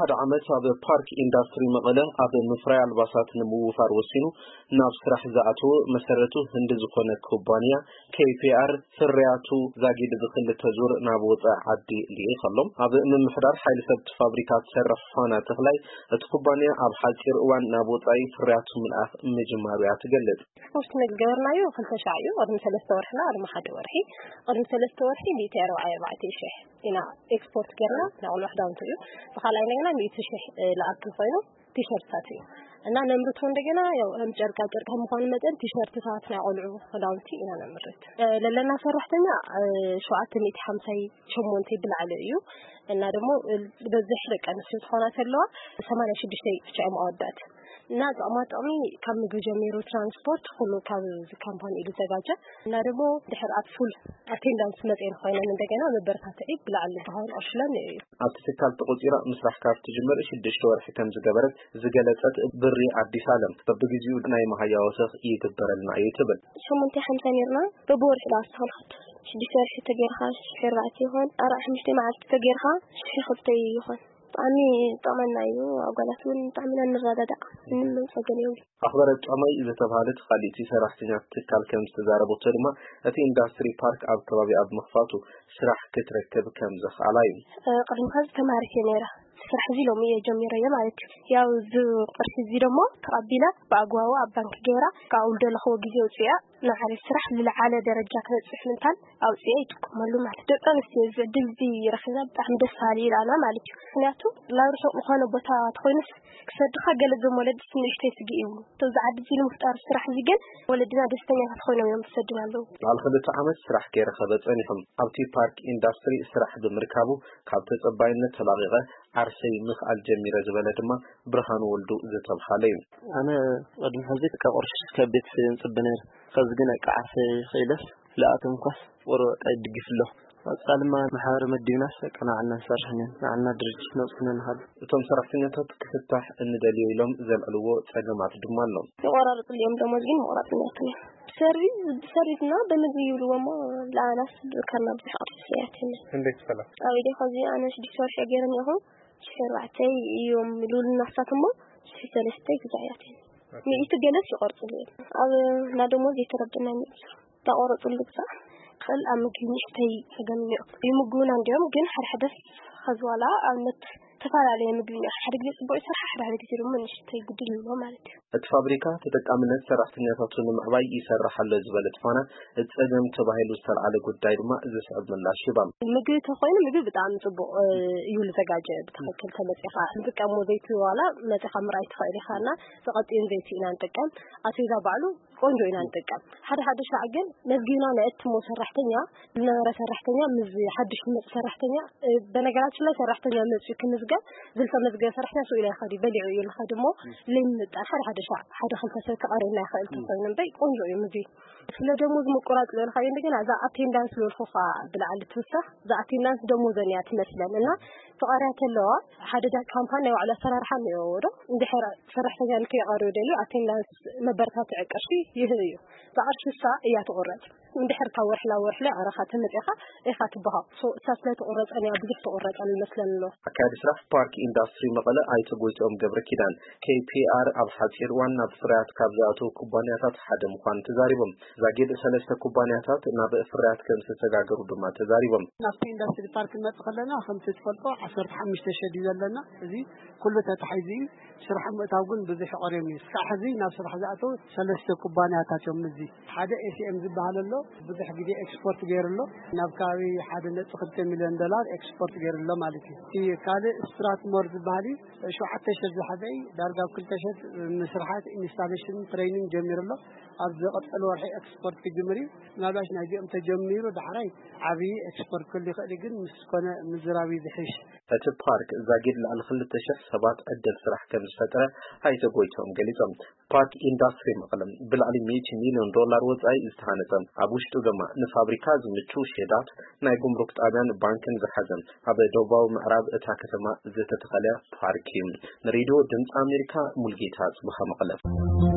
ሓደ ዓመት ኣብ ፓርክ ኢንዳስትሪ መቐለ ኣብ ምፍራይ ኣልባሳት ንምውፋር ወሲኑ ናብ ስራሕ ዝኣተወ መሰረቱ ህንዲ ዝኾነ ኩባንያ ኬ ፒ ኣር ፍርያቱ ዛጊድ ብክልተ ዙር ናብ ወፃኢ ዓዲ ልኢኸሎም። ኣብ ምምሕዳር ሓይሊ ሰብ ፋብሪካ ትሰርሕ ፋና ተኽላይ እቲ ኩባንያ ኣብ ሓፂር እዋን ናብ ወፃኢ ፍርያቱ ምልኣኽ ምጅማሩ እያ ትገልጽ። ኤክስፖርት ንግበርናዮ ክልተ ሻዕ እዩ። ቅድሚ ሰለስተ ወርሒ ና ቅድሚ ሓደ ወርሒ፣ ቅድሚ ሰለስተ ወርሒ ሚእቲ ኣርባዓ ኣርባዕተ ሽሕ ኢና ኤክስፖርት ገርና ናይ ቆልዑ ክዳውንቲ እዩ። ብካልኣይ እንደገና ሚእቲ ሽሕ ለኣክል ኮይኑ ቲሸርትታት እዩ እና ነምርቶ እንደገና ያው ከም ጨርቃ ጨርቅ ከም ምዃኑ መጠን ቲሸርትታት ናይ ቆልዑ ክዳውንቲ ኢና ነምርት። ለለና ሰራሕተኛ ሸውዓተ ሚእቲ ሓምሳይ ሸሞንተ ብላዕሊ እዩ። እና ደግሞ ዝበዝሕ ደቂ ኣንስትዮ ዝኾና ዘለዋ ሰማንያ ሽዱሽተ ብቻ እዮም ኣወዳት። እና ጥቕማ ጥቕሚ ካብ ምግቢ ጀሚሩ ትራንስፖርት ኩሉ ካብ እዚ ካምፓኒ እዩ ዝዘጋጀ። እና ደግሞ ድሕር ኣብ ፉል ኣቴንዳንስ መፅኤን ኮይነን እንደገና መበረታትዒ ብላዕሊ ዝኸውን ቅርሽለን እዩ። ኣብቲ ትካል ተቆፂራ ምስራሕ ካብ ትጅምር ሽዱሽተ ወርሒ ከም ዝገበረት ዝገለፀት ብሪ ኣዲስ ኣለም በብግዚኡ ናይ መሃያ ወሰኽ ይግበረልና እዩ ትብል። ሸሞንተ ሓምሳ ነርና በብወርሒ ዳ ኣስተኻልከት ሽዱሽተ ወርሒ ተገይርካ ሽዱሽተ ኣርባዕተ ይኾን ኣርዓ ሓሙሽተ መዓልቲ ተገይርካ ሽዱሽተ ክልተ ይኾን። ብጣዕሚ ጠቕመና እዩ። ኣጓላት እውን ብጣዕሚ ኢና ንረዳዳእ። ምንም ጸገም የብሉ። ኣኽበረ ጫማይ ዝተባህለት ካልእቲ ሰራሕተኛ ትካል ከም ዝተዛረበቶ ድማ እቲ ኢንዳስትሪ ፓርክ ኣብ ከባቢ ኣብ ምኽፋቱ ስራሕ ክትረክብ ከም ዘኽኣላ እዩ። ቅድሚ ኸዚ ተማሪት እየ ነይረ። ስራሕ እዚ ሎሚ እየ ጀሚረዮ ማለት እዩ። ያው እዚ ቅርሺ እዚ ደሞ ተቐቢለ ብኣግባቡ ኣብ ባንክ ገይራ ካብ ደለኽዎ ግዜ ውፅያ ንዓሪ ስራሕ ዝለዓለ ደረጃ ክበፅሕ ምንታን ኣውፅያ ይጥቀመሉ ማለት እዩ። ደቂ ኣንስትዮ እዚ ዕድል እዚ ረኺብና ብጣዕሚ ደስ በሃሊ ኢላና ማለት እዩ። ምክንያቱ ናብ ርሑቕ ዝኾነ ቦታ ተኾይኑስ ክሰድኻ ገለ እዞም ወለዲ ንእሽተይ ስግእ ይብሉ። እቶም ዝዓዲ እዚ ንምፍጣር ስራሕ እዚ ግን ወለድና ደስተኛታት ኮይኖም እዮም ዝሰድና ኣለዉ። ልዕሊ ክልተ ዓመት ስራሕ ከይረኸበ ጸኒሑ ኣብቲ ፓርክ ኢንዳስትሪ ስራሕ ብምርካቡ ካብ ተጸባይነት ተላቒቐ ዓርሰይ ምኽኣል ጀሚረ ዝበለ ድማ ብርሃኑ ወልዱ ዝተብሃለ እዩ። ኣነ ቅድሚ ሕዚ ካብ ቅርሺ ካብ ቤተሰብ እየ ዝጽበ ነይረ። ከዚ ግን በቃ ዓርሰይ ክኢለስ ልኣቶም ኳስ ቁሩብ በቃ ይድግፍ ኣሎ። ቀጻሊ ድማ ማሕበር መዲብናስ በቃ ንዓና ንሰርሕ ነን፣ ንዓና ድርጅት ነውጽነ ንኻል። እቶም ሰራሕተኛታት ክፍታሕ እንደልዮ ኢሎም ዘልዕልዎ ጸገማት ድማ ኣሎ። ይቆራርጽልዮም ደሞዝ ግን መቑራጽ ነርክን እዮም። ብሰርቪስ ብሰርቪስና በምግቢ ይብልዎ እሞ ለኣናስ ብካና ብዙሕ ቅርሲ ስያት የለን። እንዴት ፈላ? ኣብ ኢደ ከዚ ኣነ ሽዱሽተ ወርሒ ገይረ እኒኹ ሽሕ ኣርባዕተ እዮም ልብሉና እሳት እሞ ሽሕ ሰለስተ ግዛያት እዮም። ሚእቲ ገለስ ይቆርጽሉ እዮም። ኣብ ናደሞዝ የተረደና ሚእቲ ተቆረጽሉ ግዛ። ከል ኣብ ምግቢ ንእሽተይ ጸገም እኒኦ። ይምግቡና እንዲኦም ግን ሓደ ሓደ ኸዚ ዋላ ኣብነት ተፈላለየ ምግቢ እኒኦ። ሓደ ግዜ ጽቡቕ ይሰርሓ፣ ሓደ ሓደ ግዜ ድማ ንእሽተይ ጉድል ይብሎ ማለት እዩ። እቲ ፋብሪካ ተጠቃምነት ሰራሕተኛታቱ ንምዕባይ ይሰርሕ ኣሎ ዝበለት ፋና፣ እቲ ጸገም ተባሂሉ ዝተልዓለ ጉዳይ ድማ ዝስዕብ ምላሽ ሂባ። ምግቢ ተኾይኑ ምግቢ ብጣዕሚ ጽቡቕ እዩ ዝዘጋጀ። ብትኽክል ተመጺኻ ንጥቀሞ ዘይቲ ዋላ መጺኻ ምርኣይ ትኽእል ኢኻ እና ተቐጥዩን ዘይቲ ኢና ንጥቀም። ኣስቤዛ ባዕሉ ቆንጆ ኢና ንጥቀም። ሓደ ሓደ ሻዕ ግን መዝጊብና ነእትሞ ሰራሕተኛ ዝነበረ ሰራሕተኛ ምስ ሓድሽ ዝመጽእ ሰራሕተኛ፣ በነገራችን ላይ ሰራሕተኛ መጽዩ ክምዝገብ ዝልተመዝገበ ሰራሕተኛ ስኡ ኢላ ይኸዲ በሊዑ እዩ ልኸዲ እሞ ለይምጣል ሓደ ሓደ ሻዕ ሓደ ክልተ ሰብ ክቐርብና ይኽእል ተኮይኑ እምበይ ቆንጆ እዩ ምግቢ። ስለ ደሞዝ ምቁራጽ ዝበልካዮ እንደገና እዛ ኣቴንዳንስ ዝበልኩኻ ብላዕሊ ትውሳኽ እዛ ኣቴንዳንስ ደሞዘን እያ ትመስለን እና ተቐርያ ተለዋ ሓደ ዳ ካምፓኒ ናይ ባዕሉ ኣሰራርሓ እኒኦዎ ዶ እንድሕር ሰራሕተኛ ንከይቐርብ ደልዩ ኣቴንዳንስ መበረታትዒ ቅርሺ ይህብ እዩ። እዛ ቅርሺ እሳ እያ ትቑረጽ። እንድሕር ካብ ወርሒ ናብ ወርሒ ላይ ኣረኻ ተመፂኻ ኢኻ ትበሃው። ሶ እሳ ስለ ትቑረፀን እያ ብዙሕ ትቑረፀን ይመስለን ኣሎ። ኣካያዲ ስራሕ ፓርክ ኢንዳስትሪ መቐለ ኣይተ ጎይትኦም ገብረ ኪዳን፣ ኬ ፒ ኣር ኣብ ሓፂር እዋን ናብ ፍርያት ካብ ዝኣተዉ ኩባንያታት ሓደ ምዃኑ ተዛሪቦም። ዛጊድ ሰለስተ ኩባንያታት ናብ ፍርያት ከም ዝተሰጋገሩ ድማ ተዛሪቦም። ናብቲ ኢንዳስትሪ ፓርክ ንመጽእ ከለና ከምቲ ትፈልጦ ዓሰርተ ሓሙሽተ ሸድ እዩ ዘለና። እዚ ኩሉ ተታሒዙ እዩ። ስራሕ ምእታው ግን ብዙሕ ይቐርዮም እዩ። እስካዕ ሕዚ ናብ ስራሕ ዝኣተው ሰለስተ ኩባንያታት እዮም። እዚ ሓደ ኤ ሲ ኤም ዝበሃል ኣሎ፣ ብዙሕ ግዜ ኤክስፖርት ገይሩ ኣሎ። ናብ ከባቢ ሓደ ነጥቢ ክልተ ሚልዮን ዶላር ኤክስፖርት ገይሩ ኣሎ ማለት እዩ። እቲ ካልእ ስትራትሞር ዝበሃል እዩ፣ ሸውዓተ ሸድ ዝሓዘ እዩ። ዳርጋ ኣብ ክልተ ሸድ ምስርሓት ኢንስታሌሽን ትሬኒንግ ጀሚሩ ኣሎ። ኣብ ዝቐጸለ ወርሒ ኤክስፖርት ክጅምር እዩ። ምናልባሽ ናይዚኦም ተጀሚሩ ዳሕራይ ዓብዪ ኤክስፖርት ክህሉ ይኽእል እዩ፣ ግን ምስ ኮነ ምዝራብ እዩ ዝሕሽ። እቲ ፓርክ ዛጊድ ልዕሊ ክልተ ሽሕ ሰባት ዕድል ስራሕ ከም ዝፈጠረ ኣይተ ጎይትኦም ገሊጾም። ፓርክ ኢንዳስትሪ መቐለ ብልዕሊ ሚእቲ ሚልዮን ዶላር ወጻኢ ዝተሃነጸ፣ ኣብ ውሽጡ ድማ ንፋብሪካ ዝምቹ ሼዳት፣ ናይ ጉምሩክ ጣብያን ባንክን ዝሓዘ ኣብ ደቡባዊ ምዕራብ እታ ከተማ ዝተተኸለ ፓርክ እዩ። ንሬድዮ ድምፂ ኣሜሪካ ሙልጌታ ጽቡሃ መቐለ።